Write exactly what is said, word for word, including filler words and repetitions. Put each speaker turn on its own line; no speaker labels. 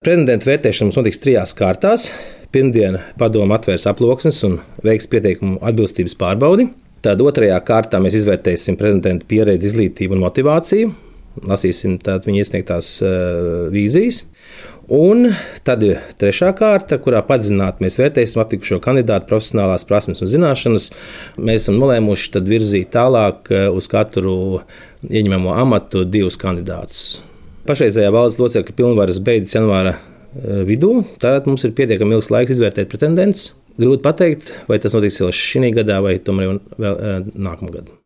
Pretendenta vērtēšana mums notiks trijās kārtās. Pirmdien padome atvērs aploksnes un veiks pieteikumu atbilstības pārbaudi. Tad otrajā kārtā mēs izvērtēsim pretendentu pieredzi, izglītību un motivāciju. Lasīsim tātad viņa iesniegtās uh, vīzijas. Un tad ir trešā kārta, kurā padziļināti mēs vērtēsim atlikušo kandidātu profesionālās prasmes un zināšanas. Mēs esam nolēmuši tad virzīt tālāk uz katru ieņemamo amatu divus kandidātus. Pašreizējā valdes locekļa pilnvaras beidzas janvāra vidū, tad mums ir pietiekami ilgs laiks izvērtēt pretendentus. Grūti pateikt, vai tas notiks jau šī gadā vai tomēr vēl nākamā gada.